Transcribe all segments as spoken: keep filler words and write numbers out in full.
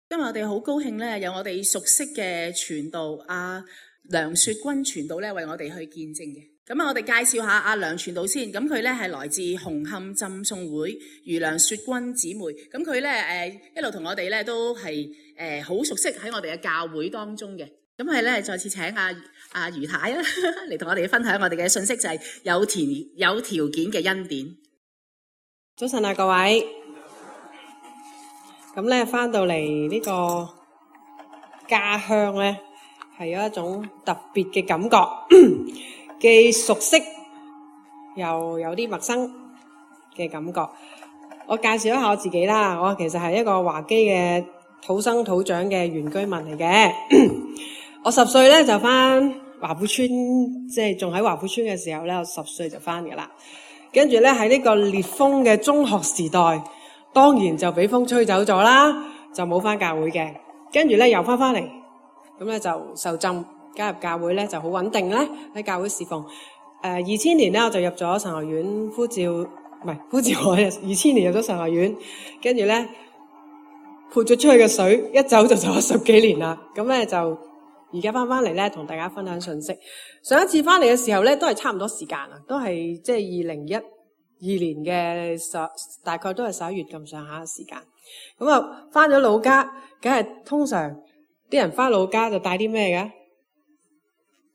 今日我哋好高興咧，有我哋熟悉嘅傳道阿梁雪君傳道咧，為我哋去見證嘅。咁啊，我哋介紹下阿梁傳道先。咁佢咧係來自紅磡浸信會余梁雪君姊妹。咁佢咧誒一路同我哋咧都係誒好熟悉喺我哋嘅教會當中嘅。咁係咧再次請阿阿余太啊嚟同我哋分享我哋嘅信息，就係有條有條件嘅恩典。早晨啊，各位。咁咧翻到嚟呢個家鄉咧，係有一種特別嘅感覺，既熟悉又有啲陌生嘅感覺。我介紹一下我自己啦，我其實係一個華基嘅土生土長嘅原居民嚟嘅。我十歲咧就翻華富村，即係仲喺華富村嘅時候咧，我十歲就翻噶啦。跟住咧喺呢個烈風嘅中學時代，當然就俾風吹走咗啦，就冇翻教會嘅。跟住咧又翻翻嚟，咁咧就受浸加入教會咧就好穩定咧喺教會侍奉。誒二千年咧我就入咗神學院呼召，唔係呼召我二千年入咗神學院，跟住咧潑咗出去嘅水，一走就走咗十幾年啦。咁咧就而家翻翻嚟咧同大家分享信息。上一次翻嚟嘅時候咧都係差唔多時間啊，都係即係二零一二年嘅十，大概都係十一月咁上下嘅時間。咁啊，翻咗老家，梗係通常啲人翻老家就帶啲咩嘅？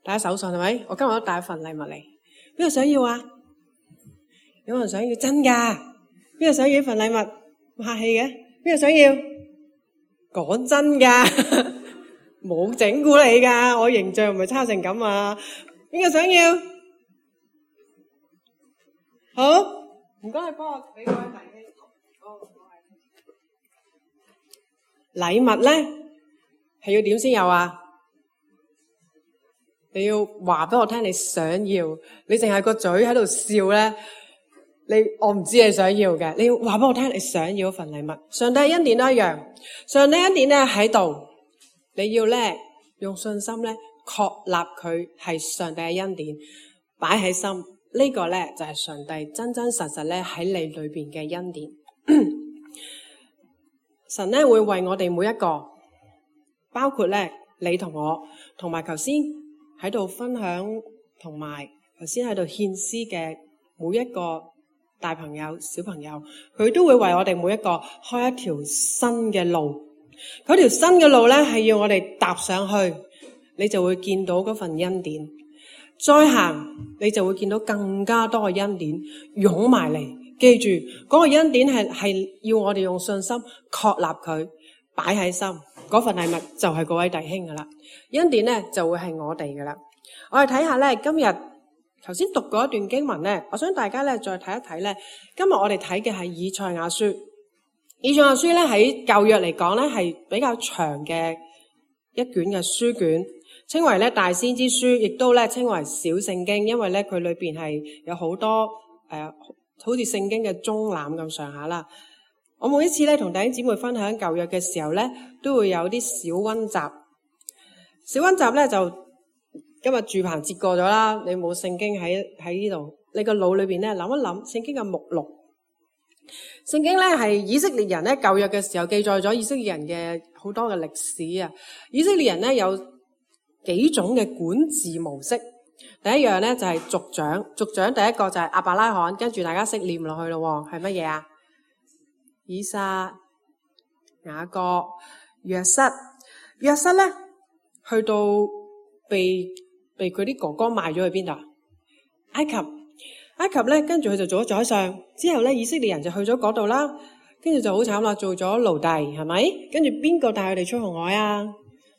帶手信係咪？我今日都帶一份禮物嚟。邊個想要啊？有冇人想要？真噶？邊個想要呢份禮物？唔客氣嘅。邊個想要？講真噶，冇整蠱你噶，我形象唔係差成咁啊！邊個想要？好，唔該，你幫我俾個位大機。禮物咧係要點先有啊？你要話俾我聽你想要，你淨係個嘴喺度笑咧，你我唔知你想要嘅。你要話俾我聽你想要一份禮物。上帝嘅恩典都一樣，上帝恩典咧喺度，你要咧用信心咧確立佢係上帝嘅恩典，擺喺心。呢個咧就係上帝真真實實咧喺你裏邊嘅恩典。神咧會為我哋每一個，包括咧你同我，同埋頭先喺度分享，同埋頭先喺度獻詩嘅每一個大朋友、小朋友，佢都會為我哋每一個開一條新嘅路。嗰條新嘅路咧係要我哋踏上去，你就會見到嗰份恩典。再行，你就會見到更加多嘅恩典湧埋嚟。記住，嗰個恩典係係要我哋用信心確立佢，擺喺心。嗰份禮物就係嗰位弟兄噶啦，恩典咧就會係我哋噶啦。我哋睇下咧，今日頭先讀過一段經文咧，我想大家咧再睇一睇咧。今日我哋睇嘅係以賽亞書。以賽亞書咧喺舊約嚟講咧係比較長嘅一卷嘅書卷。稱為咧大先知書，亦都咧稱為小聖經，因為咧佢裏邊係有好多誒、呃，好似聖經嘅中覽咁上下啦。我每一次咧同弟兄姊妹分享舊約嘅時候咧，都會有啲小溫習。小溫習咧就今日住棚節過咗啦，你冇聖經喺喺呢度，你個腦裏邊咧諗一諗聖經嘅目錄。聖經咧係以色列人咧舊約嘅時候記載咗以色列人嘅好多嘅歷史啊。以色列人咧有幾種嘅管治模式。第一樣咧就係族長，族長第一個就係亞伯拉罕，跟住大家識念落去咯，係乜嘢啊？以撒、雅各、約瑟。約瑟咧去到被被佢啲哥哥賣咗去邊度？埃及。埃及咧跟住佢就做咗宰相，之後咧以色列人就去咗嗰度啦，跟住就好慘啦，做咗奴隸，係咪？跟住邊個帶佢哋出紅海啊？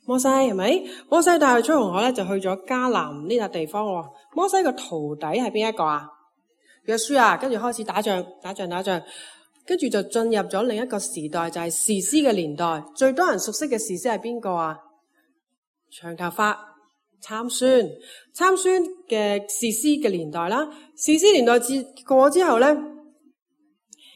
摩西，係咪？摩西帶佢出紅海咧，就去咗迦南呢笪地方喎。摩西個徒弟係邊一個啊？約書亞，跟住開始打仗，打仗，打仗，跟住就進入咗另一個時代，就係士師嘅年代。最多人熟悉嘅士師係邊個啊？長頭髮參孫，參孫嘅士師嘅年代啦。士師年代至過之後咧，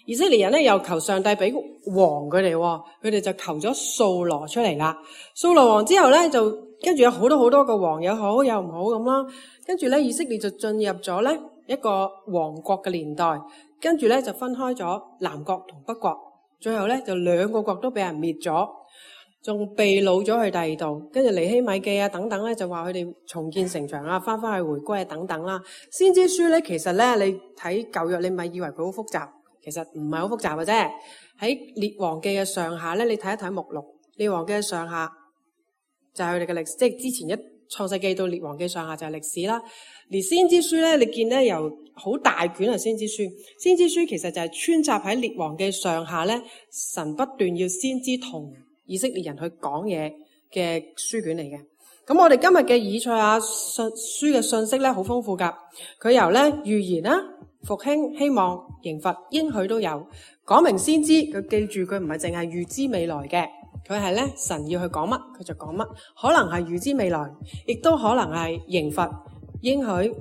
以色列人咧又求上帝俾王佢哋，佢哋就求咗掃羅出嚟啦。掃羅王之後咧，就跟住有好多好多個王，有好有唔好咁啦。跟住咧，以色列就進入咗咧一個王國嘅年代，跟住咧就分開咗南國同北國，最後咧就兩個國都俾人滅咗。仲被擄咗去第二度，跟住尼希米記啊等等咧，就話佢哋重建城牆啊，翻翻去回歸啊等等啦。先知書咧，其實咧你睇舊約，你咪以為佢好複雜，其實唔係好複雜嘅啫。喺列王記嘅上下咧，你睇一睇目錄，列王記嘅上下就係佢哋嘅歷史，即係之前一創世記到列王記上下就係歷史啦。而先知書咧，你見咧由好大卷係先知書，先知書其實就係穿插喺列王記上下咧，神不斷要先知同以色列人去講嘢嘅書卷嚟嘅。咁我哋今日嘅以賽亞書嘅信息咧好豐富噶，佢由咧預言啦、復興、希望、刑罰、應許都有，講明先知。佢記住佢唔係淨係預知未來嘅，佢係咧神要去講乜佢就講乜，可能係預知未來，亦都可能係刑罰、應許，誒、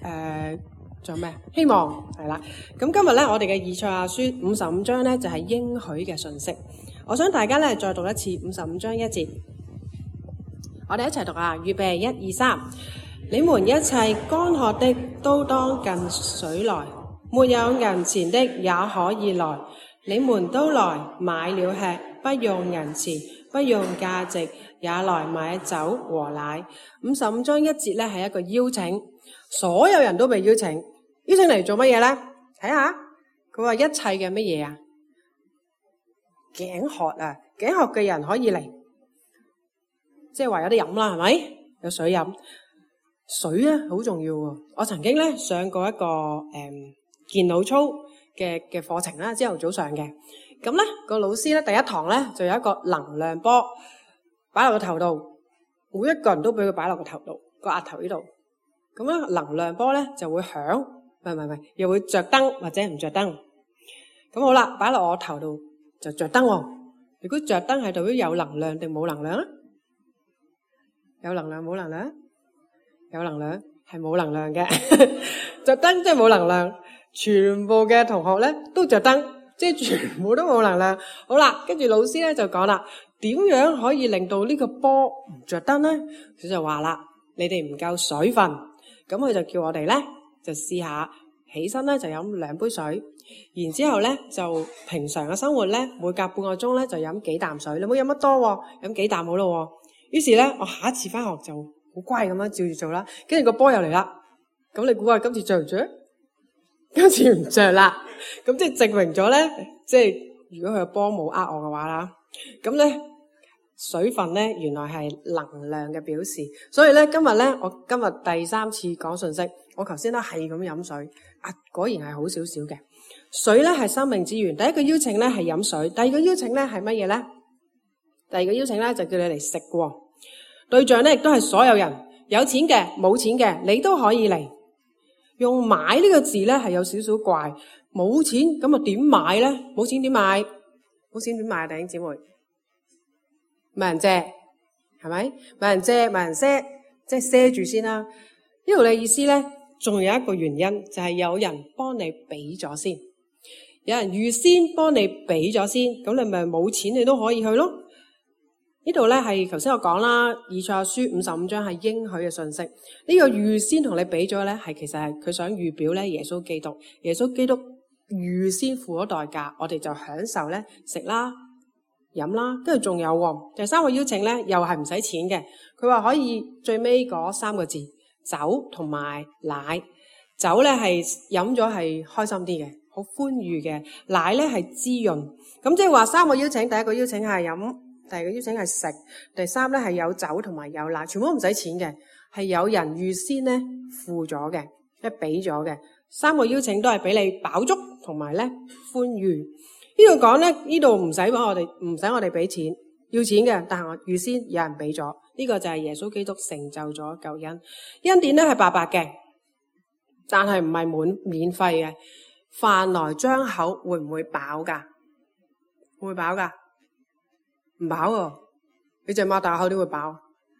呃，仲有咩？希望係啦。咁今日咧我哋嘅以賽亞書五十五章咧就係應許嘅信息。我想大家咧再讀一次五十五章一節，我哋一齊讀啊！預備，一二三，你們一切乾渴的都當近水來，沒有銀錢的也可以來，你們都來買了吃，不用銀錢，不用價值，也來買酒和奶。五十五章一節咧係一個邀請，所有人都被邀請，邀請嚟做乜嘢咧？睇下，佢話一切嘅乜嘢啊？頸渴啊，頸渴嘅人可以嚟，即係話有啲飲啦，係咪？有水飲，水咧好重要喎。我曾經咧上過一個誒、嗯、健腦操嘅嘅課程啦，朝頭早上嘅。咁咧個老師咧第一堂咧就有一個能量波擺落個頭度，每一個人都俾佢擺落個頭度，個額頭呢度。咁咧能量波咧就會響，唔係唔係唔係，又會着燈或者唔着燈。咁好啦，擺落我頭度。就着燈喎，如果着燈係代表有能量定冇能量啊？有能量冇能量？有能量係冇能量嘅，着燈即係冇能量。全部嘅同學咧都着燈，即係全部都冇能量。好啦，跟住老師咧就講啦，點樣可以令到呢個波唔着燈咧？佢就話啦，你哋唔夠水分，咁佢就叫我哋咧就試下起身咧就飲兩杯水。然之後咧就平常嘅生活咧，每隔半個鐘咧就飲幾啖水，你唔好飲乜多喎，飲幾啖好咯。於是咧我下一次翻學就好乖咁樣照住做啦。跟住個波又嚟啦，咁你估下今次着唔着？今次唔着啦。咁即係證明咗咧，即係如果佢個波冇呃我嘅話啦，咁咧水分咧原來係能量嘅表示。所以咧今日咧我今日第三次講信息，我頭先咧係咁飲水啊，果然係好少少嘅。水咧係生命之源，第一個邀請咧係飲水，第二個邀請咧係乜嘢咧？第二個邀請咧就叫你嚟食喎。對象咧亦都係所有人，有錢嘅、冇錢嘅，你都可以嚟。用買呢個字咧係有少少怪，冇錢咁啊點買咧？冇錢點買？冇錢點買啊？弟兄姊妹，問人借係咪？問人借，問人賒，即係賒住先啦。呢度嘅意思咧，仲有一個原因就係有人幫你俾咗先。有人預先幫你俾咗先，咁你咪冇錢你都可以去咯。呢度咧係頭先我講啦，以賽亞書五十五章係應許嘅信息。呢個預先同你俾咗咧，係其實係佢想預表咧耶穌基督。耶穌基督預先付咗代價，我哋就享受咧食啦、飲啦，跟住仲有喎。第三個邀請咧，又係唔使錢嘅。佢話可以最尾嗰三個字，酒同埋奶。酒咧係飲咗係開心啲嘅。好歡愉嘅，奶咧係滋潤，咁即係話三個邀請，第一個邀請係飲，第二個邀請係食，第三咧係有酒同埋有奶，全部都唔使錢嘅，係有人預先咧付咗嘅，即係俾咗嘅。三個邀請都係俾你飽足同埋咧歡愉。呢度講咧，呢度唔使幫我哋，唔使我哋俾錢，要錢嘅，但係我預先有人俾咗，呢個就係耶穌基督成就咗救恩。恩典咧係白白嘅，但係唔係滿免費嘅。飯來張口會唔會飽噶？會飽噶？唔飽喎！你淨係擘大口點會飽？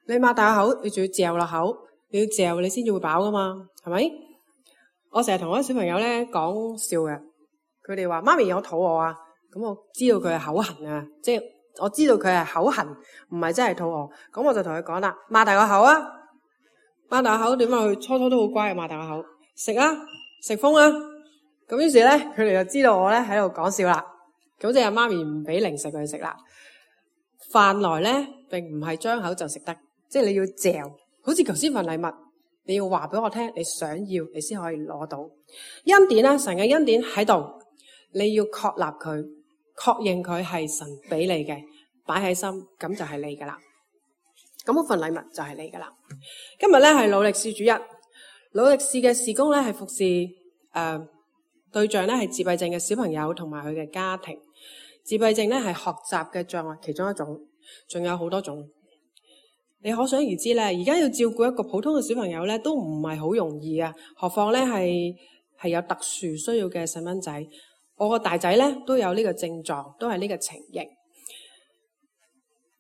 你擘大口，你仲要嚼落口，你要嚼你先至會飽噶嘛？係咪？我成日同我啲小朋友咧講笑嘅，佢哋話媽咪我肚餓啊，咁我知道佢係口痕啊，即係我知道佢係口痕，唔係真係肚餓。咁我就同佢講啦，擘大個口啊，擘大個口點解佢初初都好乖，擘大個口食啊，食風啊！咁於是咧，佢哋就知道我咧喺度講笑啦。咁即係媽咪唔俾零食佢食啦。飯來咧並唔係張口就食得，即係你要嚼，好似頭先份禮物，你要話俾我聽，你想要你先可以攞到恩典啦。神嘅恩典喺度，你要確立佢，確認佢係神俾你嘅，擺喺心，咁就係你噶啦。咁嗰份禮物就係你噶啦。今日咧係努力試主日，努力試嘅事工咧係服侍誒、呃、對象咧係自閉症嘅小朋友同埋佢嘅家庭。自閉症咧係學習嘅障礙其中一種，仲有好多種。你可想而知咧，而家要照顧一個普通嘅小朋友咧，都唔係好容易啊。何況咧係係有特殊需要嘅細蚊仔。我個大仔咧都有呢個症狀，都係呢個情形。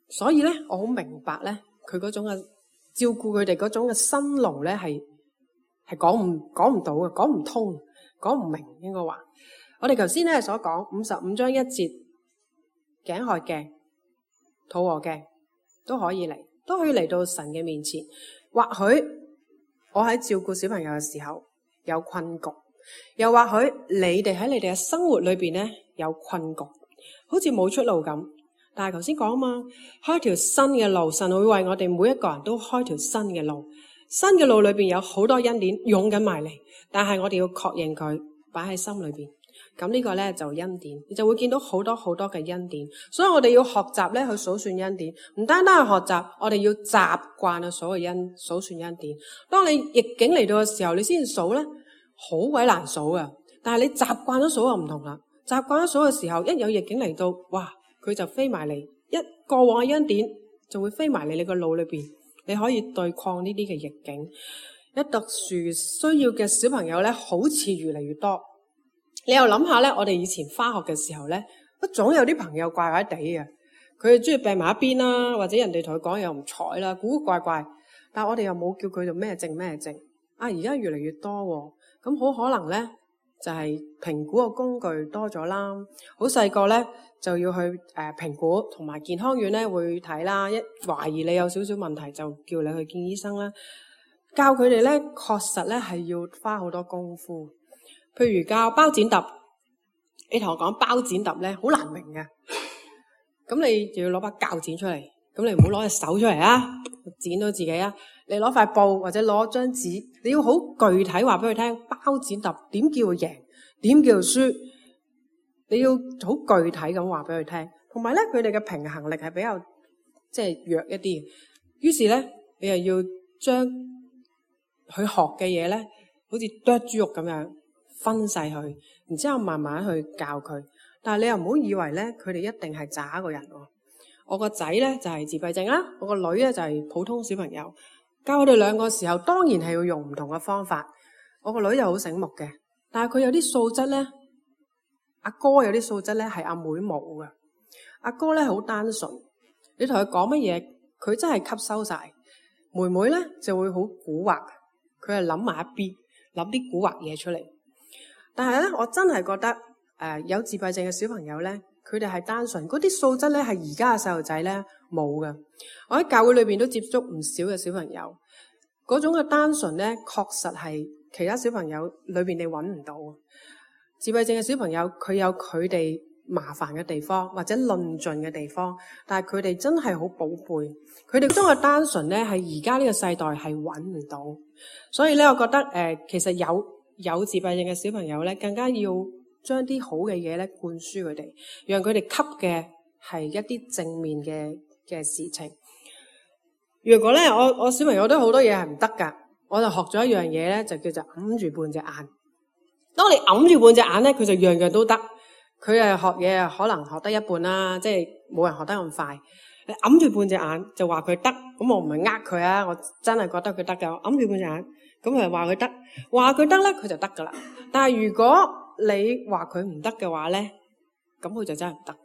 所以咧，我好明白咧，佢嗰種嘅照顧佢哋嗰種嘅辛勞咧，係係講唔講唔到嘅，講唔通，講唔明應該話。我哋頭先咧所講五十五章一節，頸渴嘅、肚餓嘅都可以嚟，都可以嚟到神嘅面前。或許我喺照顧小朋友嘅時候有困局，又或許你哋喺你哋嘅生活裏邊咧有困局，好似冇出路咁。但係頭先講啊嘛，開條新嘅路，神會為我哋每一個人都開條新嘅路。新嘅路裏邊有好多恩典湧緊埋嚟，但係我哋要確認佢，擺喺心裏邊。咁呢個咧就恩典，你就會見到好多好多嘅恩典。所以我哋要學習咧去數算恩典，唔單單係學習，我哋要習慣去數嘅恩數算恩典。當你逆境嚟到嘅時候，你先數咧，好鬼難數啊！但係你習慣咗數就唔同啦。習慣咗數嘅時候，一有逆境嚟到，哇，佢就飛埋嚟，一過往嘅恩典就會飛埋嚟你個腦裏邊，你可以對抗呢啲嘅逆境。一特殊需要嘅小朋友咧，好似越嚟越多。你又諗下咧，我哋以前返學嘅時候咧，總有啲朋友怪怪地嘅，佢哋中意病埋一邊啦，或者人哋同佢講又唔睬啦，古古怪怪。但係我哋又冇叫佢做咩症咩症。啊，而家越嚟越多喎，咁好可能咧就係評估個工具多咗啦。好細個咧就要去誒評估，同埋健康院咧會睇啦。一懷疑你有少少問題，就叫你去見醫生啦。教佢哋咧，確實咧係要花好多功夫。譬如教包剪揼，你同我講包剪揼咧，好難明嘅。咁你就要攞把鉸剪出嚟，咁你唔好攞隻手出嚟啊，剪到自己啊。你攞塊布或者攞張紙，你要好具體話俾佢聽，包剪揼點叫贏，點叫輸，你要好具體咁話俾佢聽。同埋咧，佢哋嘅平衡力係比較即係弱一啲。於是咧，你又要將佢學嘅嘢咧，好似剁豬肉咁樣。分細佢，然之後慢慢去教佢。但係你又唔好以為咧，佢哋一定係渣個人喎。我個仔咧就係自閉症啦，我個女咧就係普通小朋友。教佢哋兩個時候，當然係要用唔同嘅方法。我個女就好醒目嘅，但係佢有啲素質咧，阿哥有啲素質咧係阿妹冇嘅。阿哥咧好單純，你同佢講乜嘢，佢真係吸收晒。妹妹咧就會好蠱惑，佢係諗埋一邊，諗啲蠱惑嘢出嚟。但係咧，我真係覺得誒、呃、有自閉症嘅小朋友咧，佢哋係單純，嗰啲素質咧係而家嘅細路仔咧冇嘅。我喺教會裏邊都接觸唔少嘅小朋友，嗰種嘅單純咧，確實係其他小朋友裏邊你揾唔到。自閉症嘅小朋友佢有佢哋麻煩嘅地方或者論盡嘅地方，但係佢哋真係好寶貝。佢哋嗰種嘅單純咧，係而家呢個世代係揾唔到。所以咧，我覺得誒、呃，其實有。有自閉症嘅小朋友咧，更加要將啲好嘅嘢咧灌輸佢哋，讓佢哋吸嘅係一啲正面嘅嘅事情。如果咧，我我小朋友都好多嘢係唔得噶，我就學咗一樣嘢咧，就叫做揞住半隻眼。當你揞住半隻眼咧，佢就樣樣都得。佢誒學嘢啊，可能學得一半啦，即係冇人學得咁快。你揞住半隻眼就話佢得，咁我唔係呃佢啊，我真係覺得佢得㗎。我揞住半隻眼。咁佢話佢得，話佢得咧，佢就得噶啦。但係如果你話佢唔得嘅話咧，咁佢就真係唔得。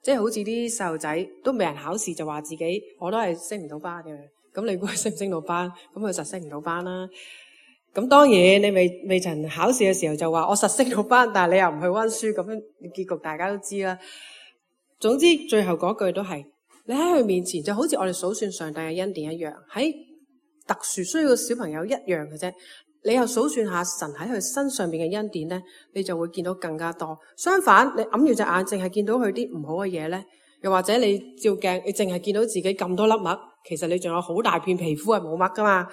即係好似啲細路仔都未人考試就話自己我都係升唔到班嘅。咁你估佢升唔升到班？咁佢實升唔到班啦。咁當然你未未曾考試嘅時候就話我實升到班，但係你又唔去溫書，咁樣結局大家都知啦。總之最後嗰句都係你喺佢面前就好似我哋數算上帝嘅恩典一樣，喺特殊需要嘅小朋友一樣嘅啫，你又數算下神喺佢身上邊嘅恩典咧，你就會見到更加多。相反，你揞住隻眼淨係見到佢啲唔好嘅嘢咧，又或者你照鏡，你淨係見到自己咁多粒癦，其實你仲有好大片皮膚係冇癦噶嘛。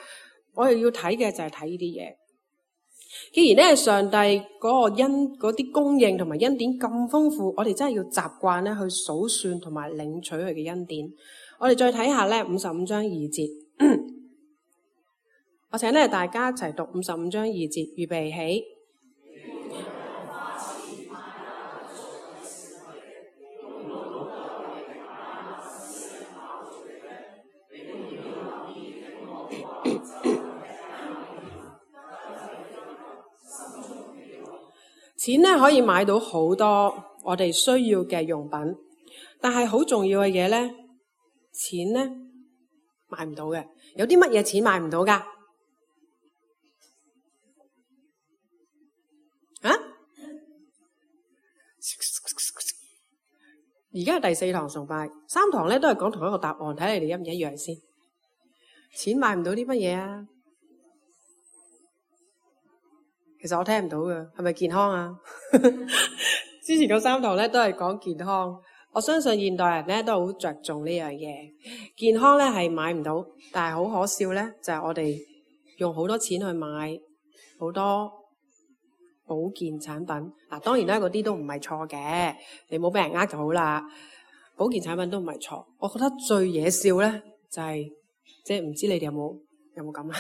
我哋要睇嘅就係睇呢啲嘢。既然咧上帝嗰個恩嗰啲供應同埋恩典咁豐富，我哋真係要習慣咧去數算同埋領取佢嘅恩典。我哋再睇下咧五十五章二節，我請咧大家一齊讀五十五章二節，預備起。錢咧可以買到好多我哋需要嘅用品，但係好重要嘅嘢咧，錢咧買唔到嘅。有啲乜嘢錢買唔到噶？啊？而家係第四堂崇拜，三堂咧都係講同一個答案，睇你哋一唔一樣先。錢買唔到啲乜嘢啊？其實我聽唔到嘅，係咪健康啊？之前嗰三堂咧都係講健康，我相信現代人咧都好着重呢樣嘢。健康咧係買唔到，但係好可笑咧，就係我哋用好多錢去買好多保健產品。嗱，當然咧嗰啲都唔係錯嘅，你冇俾人呃就好啦。保健產品都唔係錯，我覺得最惹笑咧就係即係唔知你哋有冇？有冇咁啊？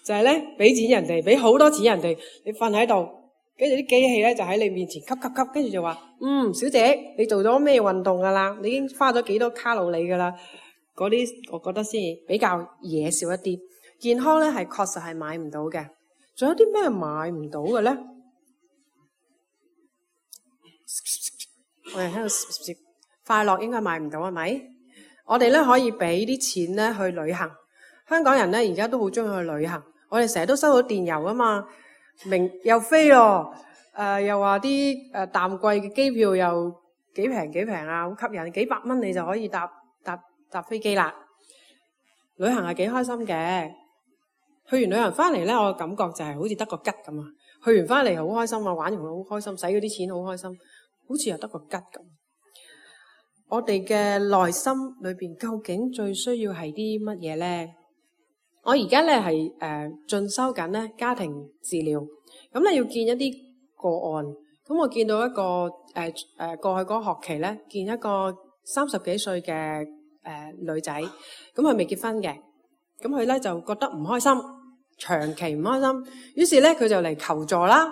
就係咧，俾錢人哋，俾好多錢人哋，你瞓喺度，跟住啲機器咧就喺你面前吸吸吸，跟住就話：嗯，小姐，你做咗咩運動噶啦？你已經花咗幾多卡路里噶啦？嗰啲我覺得先比較惹笑一啲。健康咧係確實係買唔到嘅。仲有啲咩買唔到嘅咧？我哋喺度快樂應該買唔到係咪？我哋咧可以俾啲錢咧去旅行。香港人咧而家都好中意去旅行，我哋成日都收到電郵啊嘛，明又飛咯，誒、呃、又話啲誒淡季嘅機票又幾平幾平啊，好吸引，幾百蚊你就可以搭搭搭飛機啦。旅行係幾開心嘅，去完旅行翻嚟咧，我嘅感覺就係好似得個吉咁啊！去完翻嚟好開心啊，玩完好開心，使嗰啲錢好開心，好似又得個吉咁。我哋嘅內心裏邊究竟最需要係啲乜嘢咧？我而家咧係誒進修緊咧家庭治療，咁咧要見一啲個案，咁我見到一個誒誒、呃、過去嗰個學期咧，見一個三十幾歲嘅誒、呃、女仔，咁佢未結婚嘅，咁佢咧就覺得唔開心，長期唔開心，於是咧佢就嚟求助啦。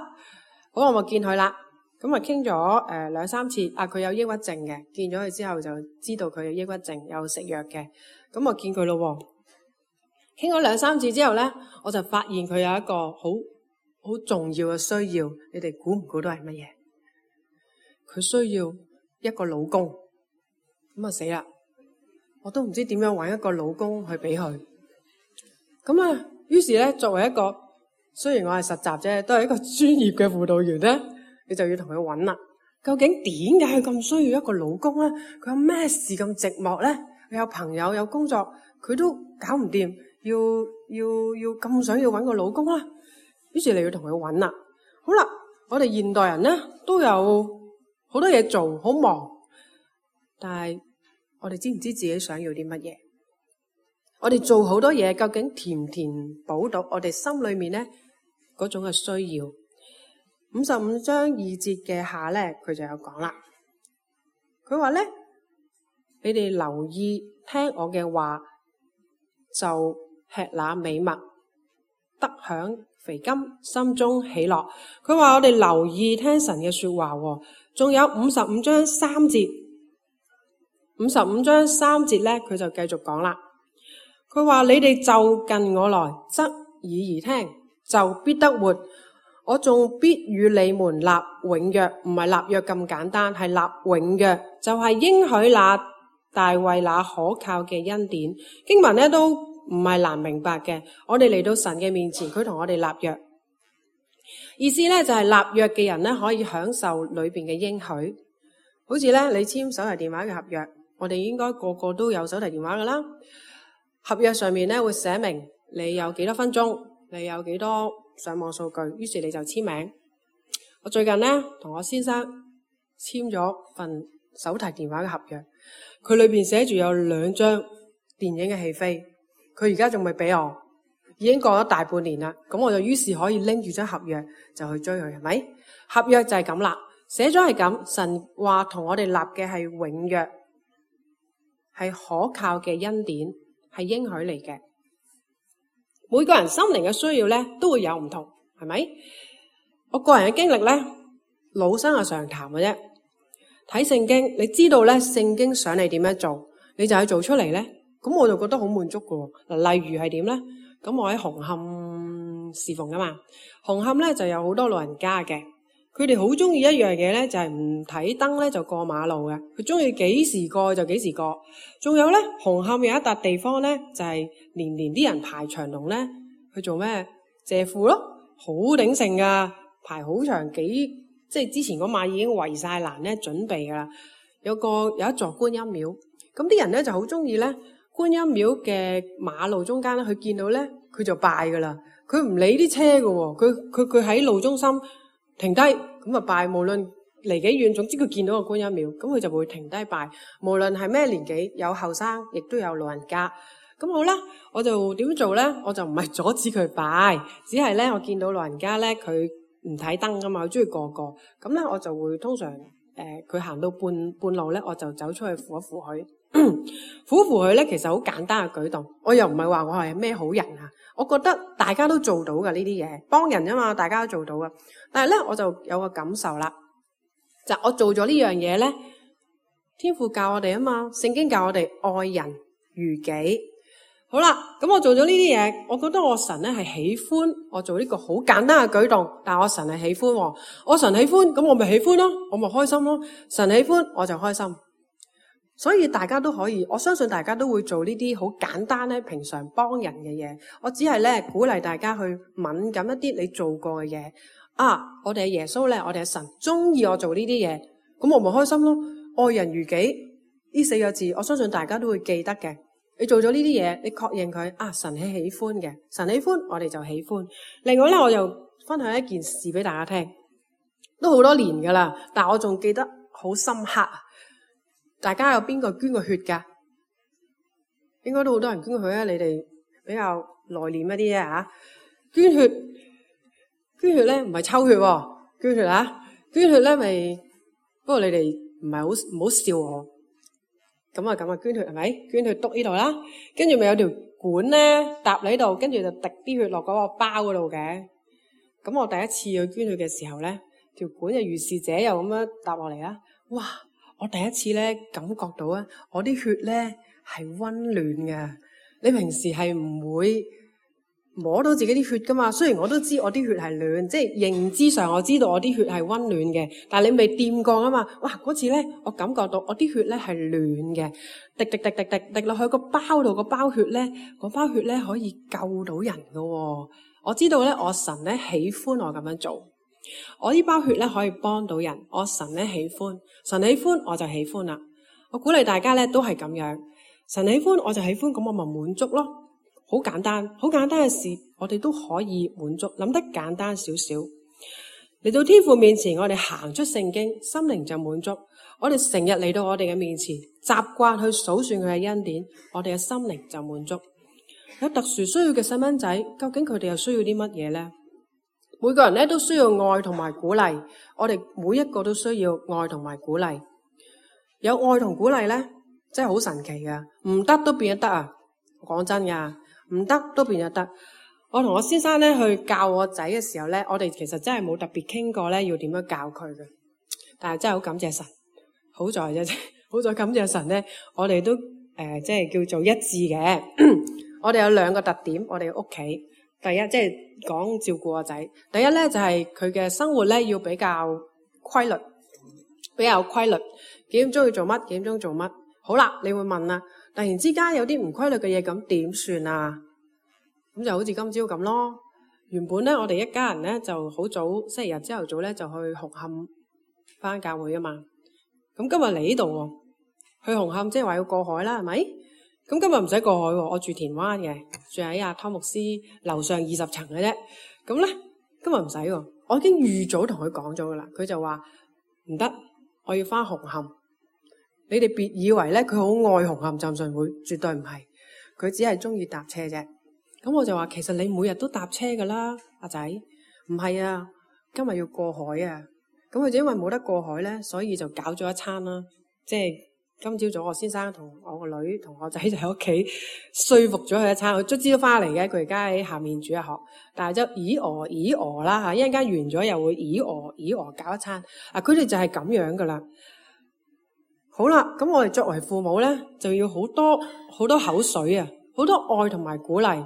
好，我咪見佢啦，咁啊傾咗誒兩三次，啊佢有抑鬱症嘅，見咗佢之後就知道佢有抑鬱症，有食藥嘅，咁我見佢咯喎。傾咗兩三次之後咧，我就發現佢有一個好好重要嘅需要，你哋估唔估到係乜嘢？佢需要一個老公，咁啊死啦！我都唔知點樣搵一個老公去俾佢。咁啊，於是咧，作為一個雖然我係實習啫，都係一個專業嘅輔導員咧，你就要同佢搵啦。究竟點解佢咁需要一個老公咧？佢有咩事咁寂寞咧？佢有朋友有工作，佢都搞唔掂。要要要咁想要搵個老公啦，於是你要同佢搵啦。好啦，我哋現代人咧都有好多嘢做，好忙，但係我哋知唔知自己想要啲乜嘢？我哋做好多嘢，究竟填唔填補到我哋心裏面咧嗰種嘅需要？五十五章二節嘅下咧，佢就有講啦。佢話咧，你哋留意聽我嘅話，就吃那美物，得享肥甘，心中喜樂。佢話我哋留意聽神嘅說話，仲有五十五章三節，五十五章三節咧，佢就繼續講啦。佢話你哋就近我來，側耳而聽，就必得活。我仲必與你們立永約，唔係立約咁簡單，係立永約，就係應許那大衛那可靠嘅恩典。經文咧都唔係難明白嘅，我哋嚟到神嘅面前，佢同我哋立約，意思咧就係立約嘅人咧可以享受裏邊嘅應許。好似咧你簽手提電話嘅合約，我哋應該個個都有手提電話噶啦。合約上面咧會寫明你有幾多分鐘，你有幾多上網數據，於是你就簽名。我最近咧同我先生簽咗份手提電話嘅合約，佢裏邊寫住有兩張電影嘅戲飛，佢而家仲未俾我，已經過咗大半年啦。咁我就於是可以拎住張合約就去追佢，係咪？合約就係咁啦，寫咗係咁，神話同我哋立嘅係永約，係可靠嘅恩典，係應許嚟嘅。每個人心靈嘅需要咧都會有唔同，係咪？我個人嘅經歷咧，老生係常談嘅啫。睇聖經，你知道咧聖經想你點樣做，你就去做出嚟咧。咁我就覺得好滿足㗎喎。嗱，例如係點咧？咁我喺紅磡侍奉噶嘛，紅磡咧就有好多老人家嘅，佢哋好中意一樣嘢咧，就係唔睇燈咧就過馬路嘅，佢中意幾時過就幾時過。仲有咧，紅磡有一笪地方咧，就係年年啲人排長龍咧去做咩？借庫咯，好鼎盛噶，排好長幾，即係之前嗰晚已經圍晒欄咧準備噶啦。有個有一座觀音廟，咁啲人咧就好中意咧。觀音廟嘅馬路中間咧，佢見到咧，佢就拜噶啦。佢唔理啲車㗎喎，佢佢佢喺路中心停低，咁啊拜。無論離幾遠，總之佢見到個觀音廟，咁佢就會停低拜。無論係咩年紀，有後生，亦都有老人家。咁好啦，我就點做咧？我就唔係阻止佢拜，只係咧我見到老人家咧，佢唔睇燈噶嘛，佢中意過過。咁咧我就會通常誒，佢、呃、行到半半路咧，我就走出去扶一扶佢。扶扶佢咧，其實好簡單嘅舉動。我又唔係話我係咩好人啊，我覺得大家都做到㗎呢啲嘢，幫人啊嘛，大家都做到㗎。但係咧，我就有個感受啦，就我做咗呢樣嘢咧，天父教我哋啊嘛，聖經教我哋愛人如己。好啦，咁我做咗呢啲嘢，我覺得我神咧係喜歡我做呢個好簡單嘅舉動，但係我神係喜歡喎，我神喜歡，咁我咪喜歡咯，我咪開心咯，神喜歡我就開心。所以大家都可以，我相信大家都會做呢啲好簡單咧，平常幫人嘅嘢。我只係咧鼓勵大家去敏感一啲你做過嘅嘢。啊，我哋係耶穌咧，我哋係神，中意我做呢啲嘢，咁我咪開心咯。愛人如己呢四個字，我相信大家都會記得嘅。你做咗呢啲嘢，你確認佢啊，神係喜歡嘅，神喜歡，我哋就喜歡。另外咧，我又分享一件事俾大家聽，都好多年噶啦，但我仲記得好深刻。大家有邊個捐過血㗎？應該都好多人捐過血啊！你哋比較內斂一啲啊，捐血，捐血咧唔係抽血喎，捐血啊，捐血咧咪，不過你哋唔係好唔好笑我。咁啊咁啊，捐血係咪？捐血篤呢度啦，跟住咪有條管咧搭喺度，跟住就滴啲血落嗰個包嗰度嘅。咁我第一次去捐血嘅時候咧，條管就如是者又咁樣搭落嚟啦，哇！我第一次咧感覺到啊，我啲血咧係溫暖嘅。你平時係唔會摸到自己啲血噶嘛？雖然我都知我啲血係暖，即係認知上我知道我啲血係溫暖嘅，但係你未掂過啊嘛。哇！嗰次咧，我感覺到我啲血咧係暖嘅，滴滴滴滴滴滴落去個包度，個包血咧，個包血咧可以救到人噶喎。我知道咧，我神咧喜歡我咁樣做。我呢包血咧可以幫到人，我神咧喜歡，神喜歡我就喜歡啦。我鼓勵大家咧都係咁樣，神喜歡我就喜歡，咁我咪滿足咯。好簡單，好簡單嘅事，我哋都可以滿足。諗得簡單少少，嚟到天父面前，我哋行出聖經，心靈就滿足。我哋成日嚟到我哋嘅面前，習慣去數算佢嘅恩典，我哋嘅心靈就滿足。有特殊需要嘅細蚊仔，究竟佢哋又需要啲乜嘢咧？每個人咧都需要愛同埋鼓勵，我哋每一個都需要愛同埋鼓勵。有愛同鼓勵咧，真係好神奇噶，唔得都變咗得啊！講真噶，唔得都變咗得。我同我先生咧去教我仔嘅時候咧，我哋其實真係冇特別傾過咧要點樣教佢嘅，但係真係好感謝神，好在啫，好在感謝神咧，我哋都誒、呃、即係叫做一致嘅。我哋有兩個特點，我哋屋企。第一，即係講照顧個仔。第一咧就係佢嘅生活咧要比較規律，比較規律。幾點鐘要做乜？幾點鐘做乜？好啦，你會問啦，突然之間有啲唔規律嘅嘢，咁點算啊？咁就好似今朝咁咯。原本咧我哋一家人咧就好早，星期日朝頭早咧就去紅磡返教會啊嘛。咁今日嚟呢度喎，去紅磡即係話要過海啦，係咪？咁今日唔使過海喎，我住田灣嘅，住喺阿湯牧師樓上二十層嘅啫。咁咧今日唔使喎，我已經預早同佢講咗噶啦。佢就話唔得，我要翻紅磡。你哋別以為咧佢好愛紅磡浸信會，絕對唔係，佢只係中意搭車啫。咁我就話其實你每日都搭車噶啦，阿仔。唔係啊，今日要過海啊。咁佢就因為冇得過海咧，所以就搞咗一餐啦。即係今朝早我先生同我個女同我仔就喺屋企說服咗佢一餐，佢卒之都翻嚟嘅。佢而家喺下面煮一學，但係就咦哦咦哦啦嚇，一陣間完咗又會咦哦咦哦搞一餐。啊，佢哋就係咁樣噶啦。好啦，咁我哋作為父母咧，就要好多好多口水啊，好多愛同埋鼓勵。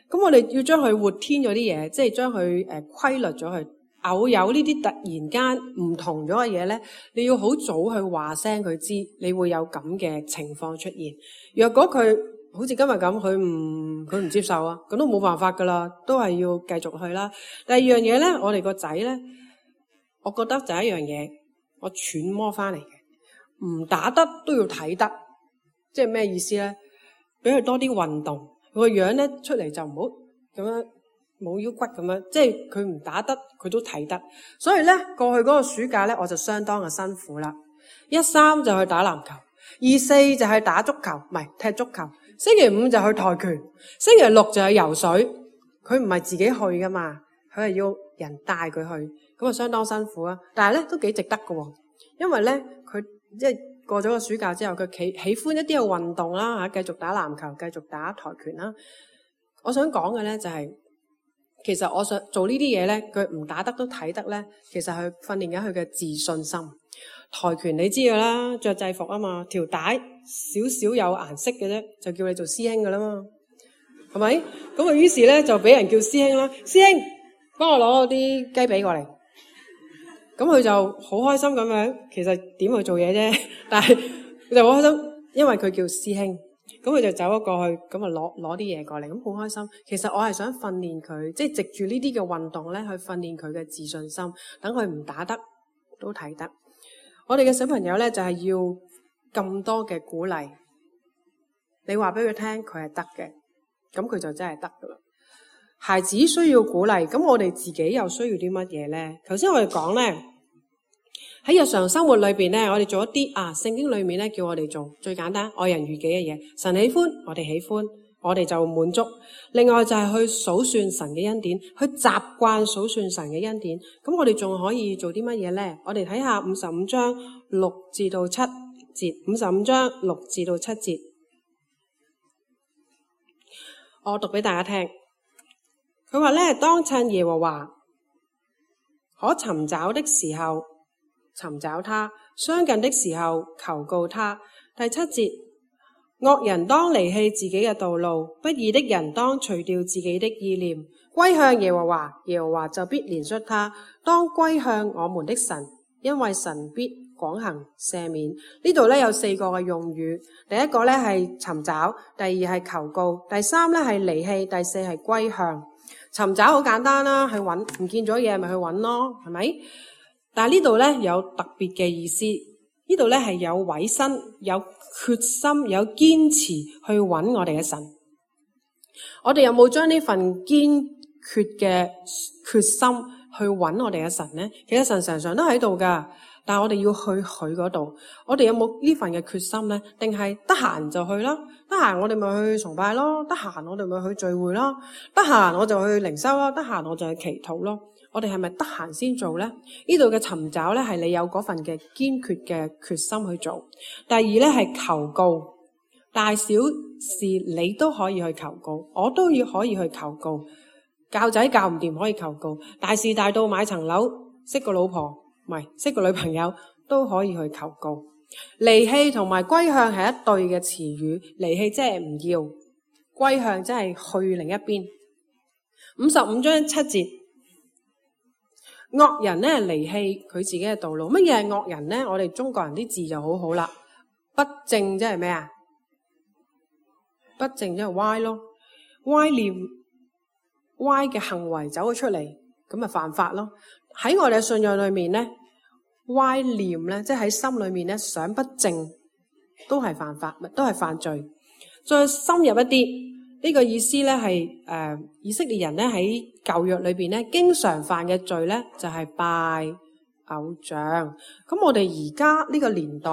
咁我哋要將佢活添咗啲嘢，即係將佢誒規律咗佢。偶有呢啲突然間唔同咗嘅嘢咧，你要好早去話聲佢知，你會有咁嘅情況出現。若果佢好似今日咁，佢唔佢唔接受啊，咁都冇辦法噶啦，都係要繼續去啦。第二樣嘢咧，我哋個仔咧，我覺得就係一樣嘢，我揣摩翻嚟嘅，唔打得都要睇得，即係咩意思咧？俾佢多啲運動，佢個樣咧出嚟就唔好咁樣。冇腰骨咁樣，即係佢唔打得，佢都睇得。所以咧，過去嗰個暑假咧，我就相當嘅辛苦啦。一三就去打籃球，二四就係打足球，唔係踢足球。星期五就去跆拳，星期六就去游水。佢唔係自己去噶嘛，佢係要人帶佢去，咁啊相當辛苦啊。但係咧都幾值得噶，因為咧佢即係過咗個暑假之後，佢喜喜歡一啲嘅運動啦吓，繼續打籃球，繼續打跆拳啦。我想講嘅咧就係、是。其實我想做呢啲嘢咧，佢唔打得都睇得咧。其實佢訓練緊佢嘅自信心。跆拳你知㗎啦，着制服啊嘛，條帶少少有顏色嘅啫，就叫你做師兄㗎啦嘛，係咪？咁啊，於是咧就俾人叫師兄啦。師兄，幫我攞啲雞髀過嚟。咁佢就好開心咁樣。其實點去做嘢啫？但係佢就好開心，因為佢叫師兄。咁佢就走咗過去，咁啊攞攞啲嘢過嚟，咁好開心。其實我係想訓練佢，即係藉住呢啲嘅運動咧，去訓練佢嘅自信心，等佢唔打得都睇得。我哋嘅小朋友咧就係要咁多嘅鼓勵，你話俾佢聽，佢係得嘅，咁佢就真係得噶啦。孩子需要鼓勵，咁我哋自己又需要啲乜嘢咧？頭先我哋講咧。喺日常生活裏邊咧，我哋做一啲啊，聖經裏面咧叫我哋做最簡單愛人如己嘅嘢。神喜歡，我哋喜歡，我哋就滿足。另外就係去數算神嘅恩典，去習慣數算神嘅恩典。咁我哋仲可以做啲乜嘢咧？我哋睇下五十五章六至到七節，五十五章六至到七節，我讀俾大家聽。佢話咧，當趁耶和華可尋找的時候，尋找他，相近的時候求告他。第七節，惡人當離棄自己嘅道路，不義的人當除掉自己的意念，歸向耶和華，耶和華就必憐恤他。當歸向我們的神，因為神必廣行赦免。呢度咧有四個嘅用語，第一個咧係尋找，第二係求告，第三咧係離棄，第四係歸向。尋找好簡單啦，去揾，唔見咗嘢咪去揾咯，係咪？但係呢度咧有特別嘅意思，呢度咧係有委身、有決心、有堅持去揾我哋嘅神。我哋有冇將呢份堅決嘅決心去揾我哋嘅神咧？其實神常常都喺度噶，但係我哋要去佢嗰度。我哋有冇呢份嘅決心咧？定係得閒就去啦？得閒我哋咪去崇拜咯，得閒我哋咪去聚會咯，得閒我就去靈修咯，得閒我就去祈禱咯。我哋係咪得閒先做咧？呢度嘅尋找咧係你有嗰份嘅堅決嘅決心去做。第二咧係求告，大小事你都可以去求告，我都要可以去求告。教仔教唔掂可以求告，大事大到買層樓、識個老婆，唔係識個女朋友都可以去求告。離棄同埋歸向係一對嘅詞語，離棄即係唔要，歸向即係去另一邊。五十五章七節。惡人咧離棄佢自己嘅道路。乜嘢係惡人咧？我哋中國人啲字就好好啦。不正即係咩啊？不正即係歪咯，歪念、歪嘅行為走咗出嚟，咁咪犯法咯。喺我哋嘅信仰裏面咧，歪念咧，即係喺心裏面咧想不正，都係犯法，都係犯罪。再深入一啲。呢個意思咧係誒以色列人咧喺舊約裏邊咧經常犯嘅罪咧就係拜偶像。咁我哋而家呢個年代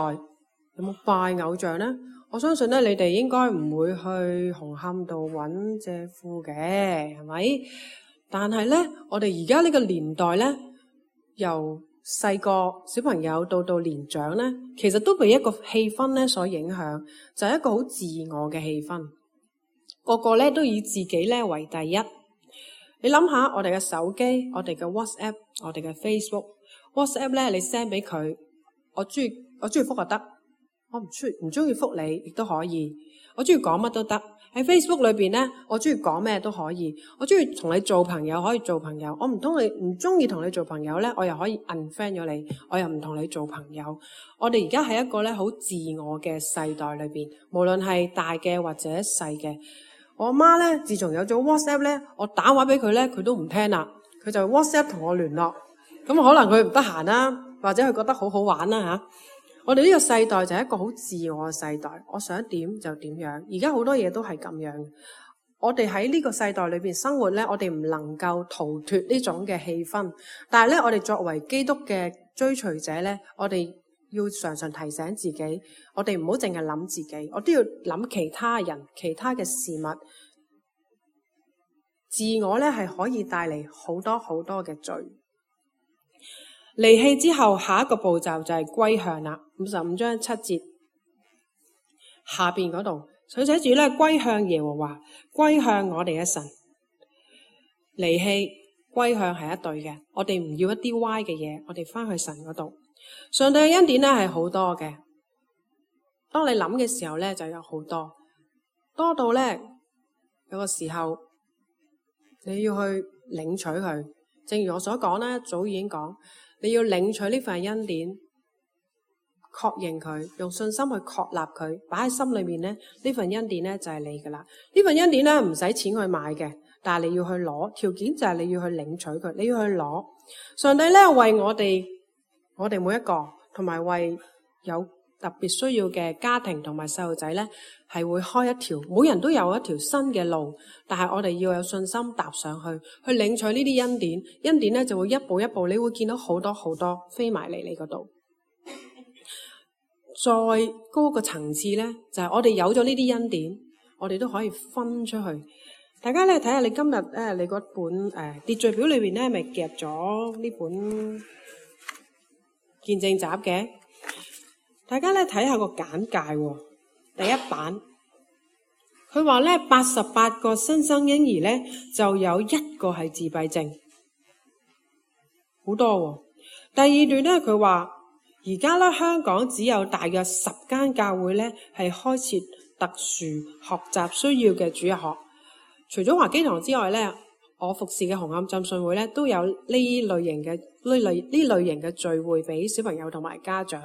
有冇拜偶像呢？我相信咧，你哋應該唔會去紅磡度揾借庫嘅，係咪？但係咧，我哋而家呢個年代咧，由細個小朋友到到年長咧，其實都被一個氣氛咧所影響，就係一個好自我嘅氣氛。個個咧都以自己咧為第一。你諗下，我哋嘅手機、我哋嘅 WhatsApp、我哋嘅 Facebook。WhatsApp 咧，你 send 俾佢，我中意我中意覆就得，我唔中唔中意覆你亦都可以。我中意講乜都得。喺 Facebook 裏邊咧，我中意講咩都可以。我中意同你做朋友可以做朋友，我唔通你唔中意同你做朋友咧，我又可以 unfriend 咗你，我又唔同你做朋友。我哋而家係一個咧好自我嘅世代裏邊，無論係大嘅或者細嘅。我媽咧，自從有咗 WhatsApp 咧，我打話俾佢咧，佢都唔聽啦，佢就 WhatsApp 同我聯絡。咁可能佢唔得閒啦，或者佢覺得好好玩啦吓。我哋呢個世代就係一個好自我嘅世代，我想點就點樣。而家好多嘢都係咁樣。我哋喺呢個世代裏邊生活咧，我哋唔能夠逃脫呢種嘅氣氛。但係咧，我哋作為基督嘅追隨者咧，我哋要常常提醒自己，我哋唔好淨係諗自己，我都要諗其他人、其他嘅事物。自我咧係可以帶嚟好多好多嘅罪。離棄之後，下一個步驟就係歸向啦。五十五章七節下邊嗰度，佢寫住咧歸向耶和華，歸向我哋嘅神。離棄歸向係一對嘅，我哋唔要一啲歪嘅嘢，我哋翻去神嗰度。上帝嘅恩典咧係好多嘅，當你諗嘅時候咧就有好多，多到咧有個時候你要去領取佢。正如我所講咧，早已經講。你要領取呢份恩典，確認佢，用信心去確立佢，擺喺心裏面咧，呢份恩典咧就係你噶啦。呢份恩典咧唔使錢去買嘅，但係你要去攞，條件就係你要去領取佢，你要去攞。上帝咧為我哋，我哋每一個，同埋為有特別需要嘅家庭同埋細路仔咧，係會開一條，每人都有一條新嘅路，但係我哋要有信心踏上去，去領取呢啲恩典。恩典咧就會一步一步，你會見到好多好多飛埋嚟你嗰度。再高個層次咧，就係、是、我哋有咗呢啲恩典，我哋都可以分出去。大家咧睇下，看看你今日咧你嗰本誒、呃、秩序表裏邊咧，咪夾咗呢本見證集嘅？大家咧睇下個簡介喎，第一版佢話咧八十八個新生嬰兒咧就有一個係自閉症，好多喎。第二段咧佢話而家咧香港只有大約十間教會咧係開設特殊學習需要嘅主日學，除咗華基堂之外咧，我服侍嘅紅磡浸信會咧都有呢類型嘅呢類呢類型嘅聚會俾小朋友同埋家長。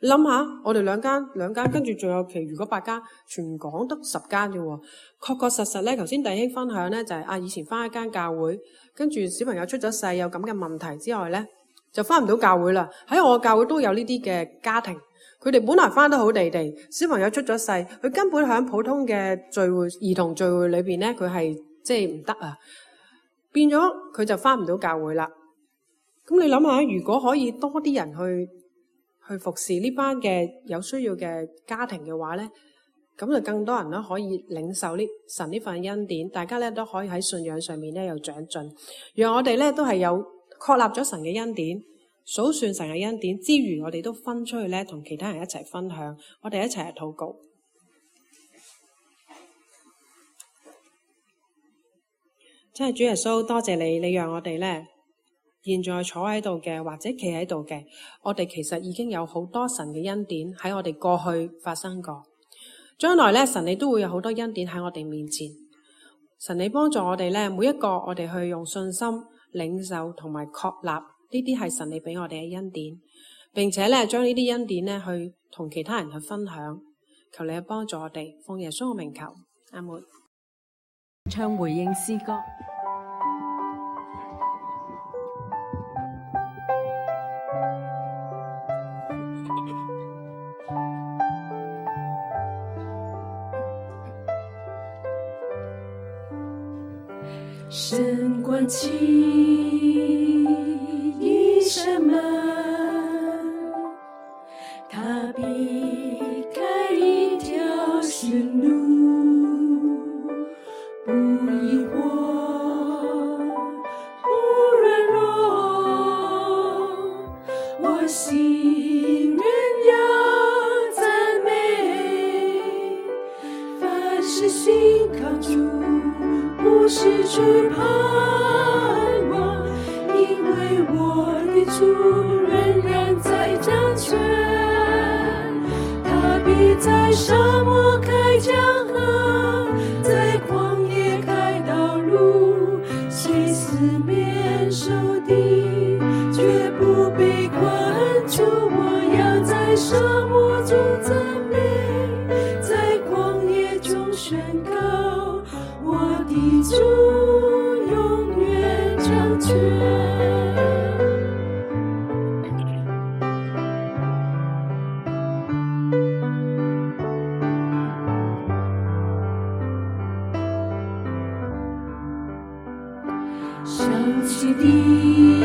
你諗下，我哋兩間兩間，跟住仲有其餘嗰八間，全港得十間啫喎。確確實實咧，頭先弟兄分享咧就係、是、啊，以前返一間教會，跟住小朋友出咗世有咁嘅問題之外咧，就返唔到教會啦。喺我教會都有呢啲嘅家庭，佢哋本來返得好地地，小朋友出咗世，佢根本喺普通嘅聚會、兒童聚會裏邊咧，佢係即係唔得啊，變咗佢就返唔到教會啦。咁你諗下，如果可以多啲人去去服侍呢班嘅有需要嘅家庭嘅話咧，咁就更多人咧可以領受呢神呢份恩典，大家咧都可以喺信仰上面咧有長進，讓我哋咧都係有確立咗神嘅恩典，數算神嘅恩典之餘，我哋都分出去咧同其他人一齊分享，我哋一齊嚟禱告。真係主耶穌，多謝你，你讓我哋咧現在坐喺度嘅或者企喺度嘅，我哋其實已經有好多神嘅恩典喺我哋過去發生過，將來咧神你都會有好多恩典喺我哋面前。神你幫助我哋咧，每一個我哋去用信心領受同埋確立呢啲係神你俾我哋嘅恩典，並且咧將呢啲恩典咧去同其他人去分享。求你去幫助我哋，奉耶穌嘅名求，阿門。唱回應詩歌。神关起一扇门，他必前路，不疑惑，不软弱，我心仍要赞美，凡事信靠主，不失去盼望，因为我的主仍然在掌权，他必在沙漠开江河，在旷野开道路，虽四面受敌，绝不被困住。我要在沙漠中赞美，在旷野中宣告，我的主永远掌权。想起你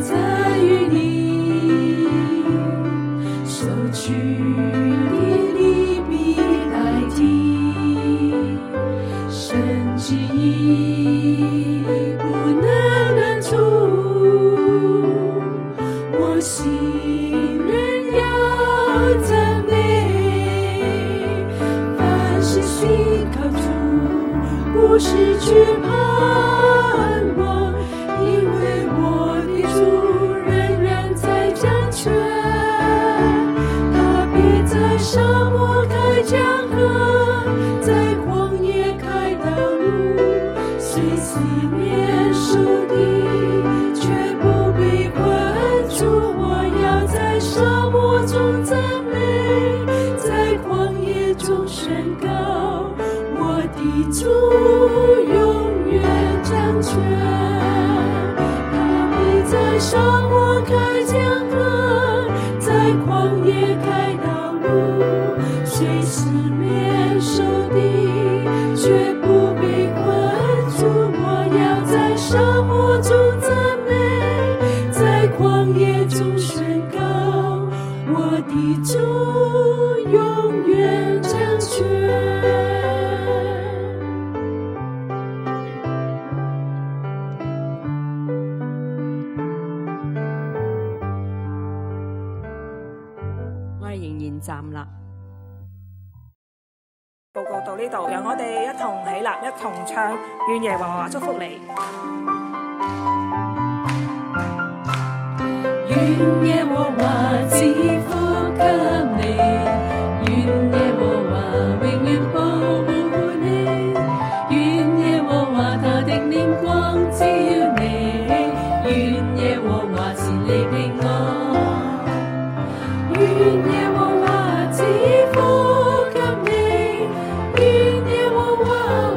在于你收取的利弊代替，神旨意不能难处，我心仍要赞美，凡事信靠主，不失去盼望，因为我的主仍然在掌权，他必在沙漠开江河，在旷野开道路，虽四面受敌，却不被困住。我要在沙漠中赞美，在旷野中宣告，我的主永远掌权，他必在沙漠开江河，在旷野开道路，虽四面受敌，却不被困住。我要在沙漠中赞美，在旷野中宣告，我的主永远掌权。站立。報告到呢度，讓我哋一同起立，一同唱願耶和華祝福你。願耶和華賜福給你，願耶和華永遠保護你，願耶和華他的臉光照你，願耶和華賜你平安，願耶和華賜福給你，願耶和華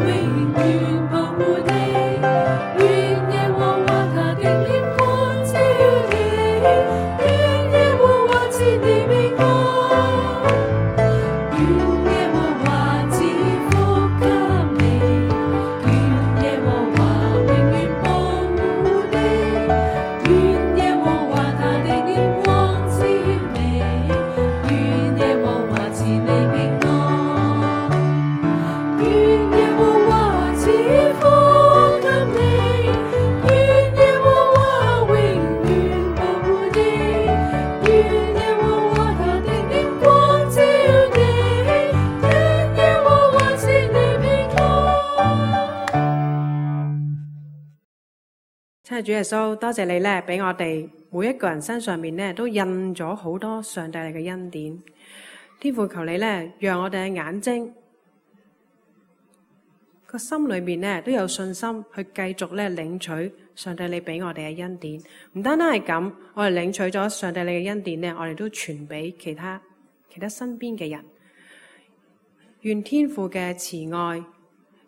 永遠保護你，願耶和華他的臉光照你，願耶和華賜你平安，願耶和華賜福給你，願耶和華永遠保護你，願耶和華他的臉光照你，願耶和華賜你平安，願耶和華賜福給你，願耶和華永遠保護你，願耶和華他的臉光照你，願耶和華賜你平安。親愛的主耶穌，多謝你咧，俾我哋每一個人身上面咧都印咗好多上帝你嘅恩典。天父，求你咧，讓我哋嘅眼睛個心裏面咧都有信心去繼續咧領取上帝你俾我哋嘅恩典。唔單單係咁，我哋領取咗上帝你嘅恩典咧，我哋都傳俾其他其他身邊嘅人。願天父嘅慈愛、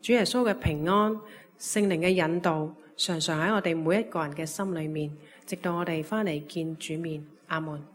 主耶穌嘅平安、聖靈嘅引導，常常喺我哋每一個人嘅心裏面，直到我哋翻嚟見主面。阿門。